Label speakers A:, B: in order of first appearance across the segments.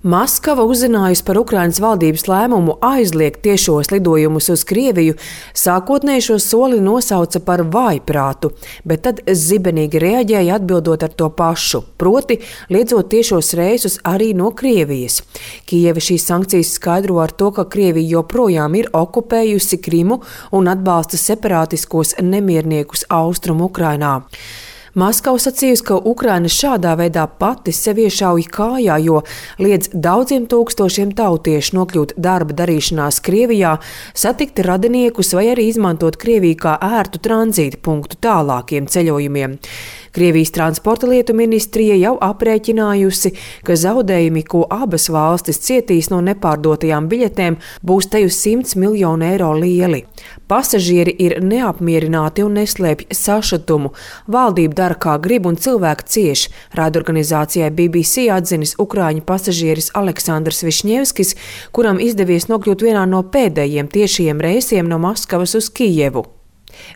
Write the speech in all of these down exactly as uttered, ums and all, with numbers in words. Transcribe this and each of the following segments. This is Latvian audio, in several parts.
A: Maskava uzzinājusi par Ukrainas valdības lēmumu aizliegt tiešos lidojumus uz Krieviju, sākotnēji šo soli nosauca par vājprātu, bet tad zibenīgi reaģēja atbildot ar to pašu, proti liedzot tiešos reisus arī no Krievijas. Kijeva šīs sankcijas skaidro ar to, ka Krievija joprojām ir okupējusi Krimu un atbalsta separātiskos nemierniekus Austrumu Ukrainā. Maskava sacījusi, ka Ukraina šādā veidā pati sevi iešauj kājā, jo liedz daudziem tūkstošiem tautiešu nokļūt darba darīšanās Krievijā, satikt radiniekus vai arī izmantot Krieviju kā ērtu tranzīta punktu tālākiem ceļojumiem. Krievijas transporta lietu ministrija jau aprēķinājusi, ka zaudējumi, ko abas valstis cietīs no nepārdotajām biļetēm, būs te uz simts miljonu eiro lieli. Pasažieri ir neapmierināti un neslēpj sašutumu. Valdība dara kā grib un cilvēki cieš, raidorganizācijai B B C atzinis ukraiņu pasažieris Aleksandrs Višņevskis, kuram izdevies nokļūt vienā no pēdējiem tiešajiem reisiem no Maskavas uz Kijevu.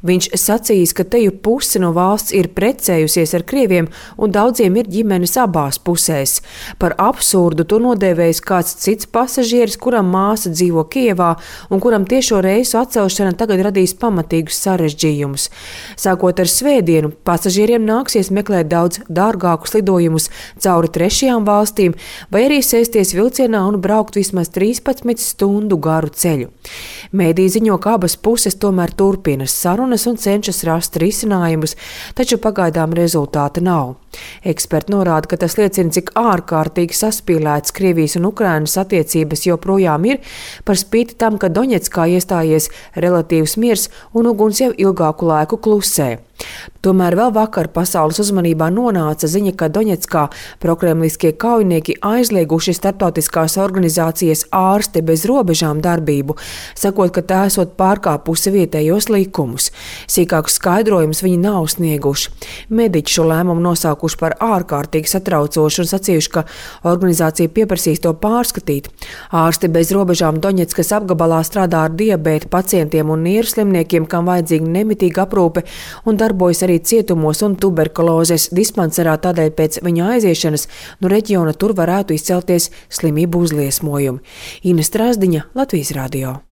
A: Viņš sacījis, ka teju puse no valsts ir precējusies ar krieviem un daudziem ir ģimenes abās pusēs. Par absurdu to nodēvējis kāds cits pasažieris, kuram māsa dzīvo Kijevā un kuram tiešo reisu atcelšana tagad radīs pamatīgus sarežģījumus. Sākot ar svētdienu, pasažieriem nāksies meklēt daudz dārgākus lidojumus cauri trešajām valstīm vai arī sēsties vilcienā un braukt vismaz trīspadsmit stundu garu ceļu. Mēdī ziņo, ka abas puses tomēr turpina sarunas un cenšas rast risinājumus, taču pagaidām rezultāta nav. Eksperti norāda, ka tas liecina, cik ārkārtīgi saspīlētas Krievijas un Ukrainas attiecības joprojām ir, par spīti tam, ka Doņetskā iestājies relatīvs miers un uguns jau ilgāku laiku klusē. Tomēr vēl vakar pasaules uzmanībā nonāca ziņa, ka Doņetskā prokremliskie kaujinieki aizlieguši starptautiskās organizācijas Ārsti bez robežām darbību, sakot, ka tā esot pārkāpusi vietējos likumus. Sīkākus skaidrojumus viņi nav snieguši. Mediķi šo lēmumu nosaukuši par ārkārtīgi satraucošu un sacījuši, ka organizācija pieprasīs to pārskatīt. Ārsti bez robežām Doņetskas apgabalā strādā ar diabēta pacientiem un nieru slimniekiem, kam vajadzīga nemitīga aprūpe, un darbojas arī cietumos un tuberkulozes dispanserā, tādēļ pēc viņa aiziešanas no reģiona tur varētu izcelties slimību uzliesmojumi. Ines Strasdiņa, Latvijas radio.